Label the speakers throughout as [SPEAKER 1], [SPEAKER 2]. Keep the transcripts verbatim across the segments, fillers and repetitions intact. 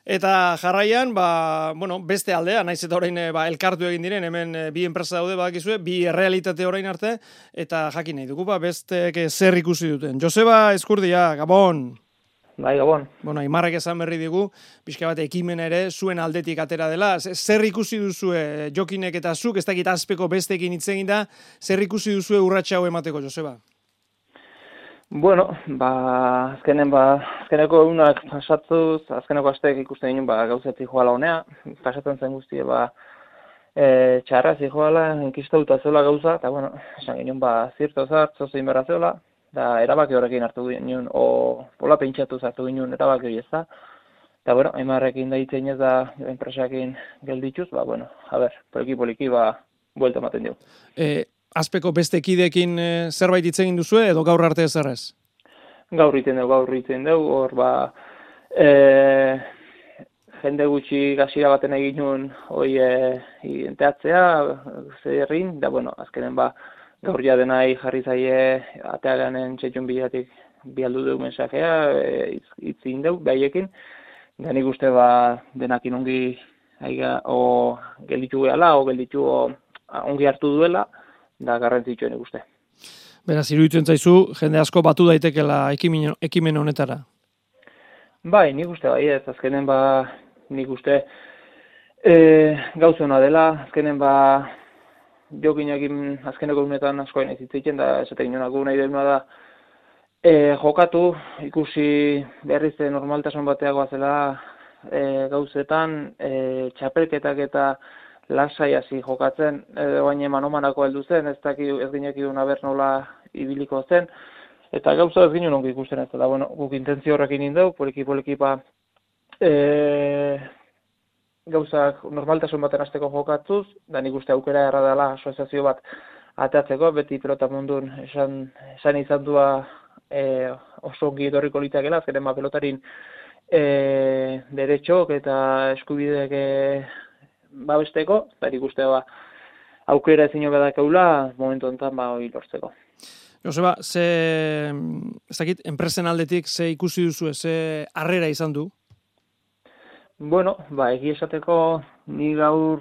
[SPEAKER 1] Eta jarraian, ba, bueno, beste aldea, naiz eta orain ba, elkartu egin diren, hemen bi enpresa daude badakizue, bi errealitate orain arte, eta jakin nahi dugu, ba, bestek zer ikusi duten. Joseba Eskurdia, Gabon!
[SPEAKER 2] Bai, Gabon.
[SPEAKER 1] Bueno, Aimarrek esan berri digu, pixka bat ekimen ere zuen aldetik atera dela. Zer ikusi duzue Jokinek eta zuk, ez dakit azpeko bestekin hitz egin da, zer ikusi duzue urratsa hau emateko, Joseba?
[SPEAKER 2] Bueno, ba, azkenen, ba, azkeneko egunak pasatuz, azkeneko asteek ikusten ginen, ba, gauzetik joala honea, pasatzen zen guztie, ba, e, txarra zijoala, enkistauta zela gauza, eta, bueno, esan ginen, ba, zirto zart, zozein berra zeola, da, erabaki horrekin hartu ginen, o, pola pentsatu hartu ginen, erabaki hori ez da, eta, bueno, Aimarrekin da hitzen ez da, enpresakin geldituz, ba, bueno, a ber, poliki-poliki, ba, buelta ematen dugu.
[SPEAKER 1] E, azpeko beste kidekin e, zerbait hitz egin duzue, edo gaur arte ezerrez?
[SPEAKER 2] Gaur iten dugu, gaur iten dugu, hor ba, e, jende gutxi gazira baten egin nuen hoi e, enteatzea, zerrin, da bueno, azkenen ba, gaur ja denai jarri zaie ateaganen txetxun bilatik bialdu dugu mensajea, e, itzin dugu, behaiekin, da nik uste ba, denakin ongi aiga, o gelditu gehala, o gelditu o, ongi hartu duela, da garrantzitsuen ikuste.
[SPEAKER 1] Beraz, iruditzen zaizu, jende asko batu daitekela ekimen, ekimen honetara?
[SPEAKER 2] Bai, nik uste bai ez, azkenen ba, nik uste e, gauzena dela, azkenen ba, Jokinekin azkeneko unetan askoen ez hitzitzen, da esaten inoenako nahi deuna da e, jokatu, ikusi berriz normaltasun bateagoa zela e, gauzetan, e, txapelketak eta lasai hasi jokatzen, edo baina manomanako heldu zen, ez daki ez ginekidun aber nola ibiliko zen, eta gauza ez ginen ongi ikusten ez da, bueno, guk intentzio horrekin indau, poliki-poliki ba, e, gauzak normaltasun baten hasteko jokatzuz, da nik uste aukera erra dela asoziazio bat atatzeko, beti pelota mundun esan, esan izan dua e, oso ongi etorriko litakela, azkenen ba pelotarin e, deretxok eta eskubideek e, babesteko, eta nik uste ba, aukera ezin badakaula momentu honetan ba hori lortzeko.
[SPEAKER 1] Joseba, ze, ez dakit, enpresen aldetik ze ikusi duzu, ze harrera izan du?
[SPEAKER 2] Bueno, ba, egi esateko ni gaur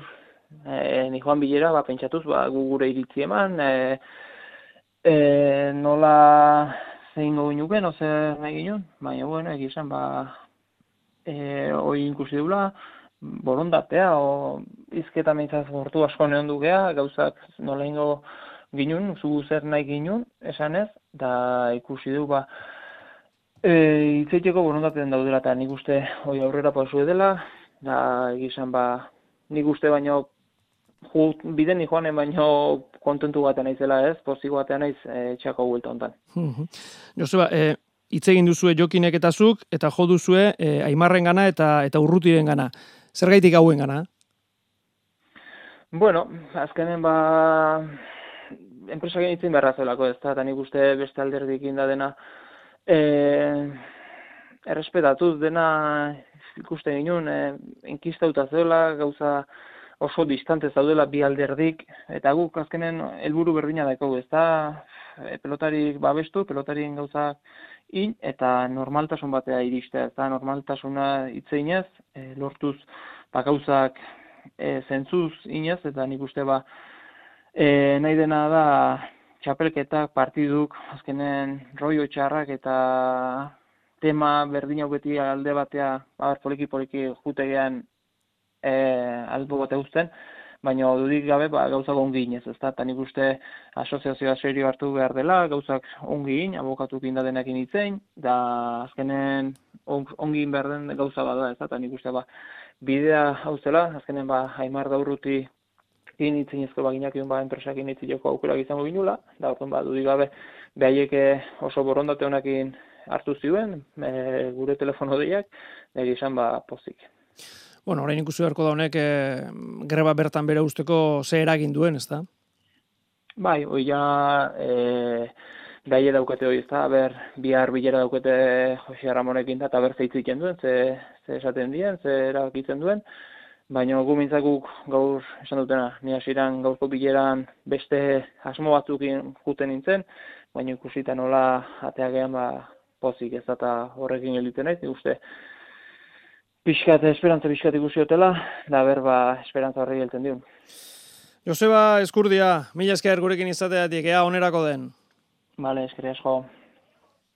[SPEAKER 2] e, ni joan bilera, ba, pentsatuz, ba, gu gure iritzi eman, e, e, nola zein gogu nuken, oze nahi ginen, baina, bueno, egi esan, ba, e, hori ikusi dula, borondatea, o izketa meintzaz gortu asko neon dugea, gauzak nola ingo ginen, zu zer nahi ginen, esanez, da ikusi du, ba, e, itzeiteko borondatean daudela, eta nik uste hori aurrera pausu dela, da egizan, ba, nik uste baino, ju, biden ni joanen baino kontentu batean naizela ez, pozigo batean naiz e, txako guelta hontan.
[SPEAKER 1] Joseba, e, hitz egin duzue Jokinek eta zuk, eta jo duzue e, Aimarren gana eta, eta Urrutiren gana. Zergaitik hauen gana?
[SPEAKER 2] Bueno, azkenen ba, enpresak egin beharra zelako ez da, eta nik uste beste alderdikin da dena, e, errespetatuz dena ikusten ginen, e, enkistauta zela, gauza oso distante zaudela bi alderdik, eta guk azkenen helburu berdina daikagu, ez da, e, pelotarik babestu, pelotarien gauza in, eta normaltasun batea iristea, ez da, normaltasuna itzeinez, e, lortuz, ba, gauzak e, zentzuz inez, eta nik uste ba, e, nahi dena da, txapelketak, partiduk, azkenen rollo txarrak eta tema berdin beti alde batea, ba, poliki-poliki jutegean e, albo bate uzten, baina dudik gabe ba, gauzak ongi inez, ez da, eta nik uste asoziazioa serio hartu behar dela, gauzak ongi in, abokatukin da denekin itzein, da azkenen ongi behar den gauza bada, ez da, eta nik uste ba, bidea hau zela, azkenen ba, Aimar da Urruti in itzinezko baginak ba, enpresakin itzileko aukerak izango ginula, da orduan ba, dudik gabe behaieke oso borondate honekin hartu ziuen, e, gure telefono deiak, nire izan ba, pozik.
[SPEAKER 1] Bueno, orain ikusi beharko da honek e, greba bertan bere usteko ze eragin duen, ezta?
[SPEAKER 2] Bai, hoi ja e, behaie daukate hori, ezta, ber, bihar bilera daukate Jose Ramonekin da, eta ber zeitziken duen, ze, ze esaten dien, ze erabakitzen duen, baina gu mintzakuk gaur esan dutena, ni hasieran gaurko bileran beste asmo batzukin juten nintzen, baina ikusita nola ateagean ba, pozik ez da horrekin eliten naiz, uste pixkat, esperantza pixkat ikusi hotela, da berba esperantza horri helten diun.
[SPEAKER 1] Joseba Eskurdia, mila esker gurekin izateatik, ea onerako den.
[SPEAKER 2] Vale, eskerrik asko.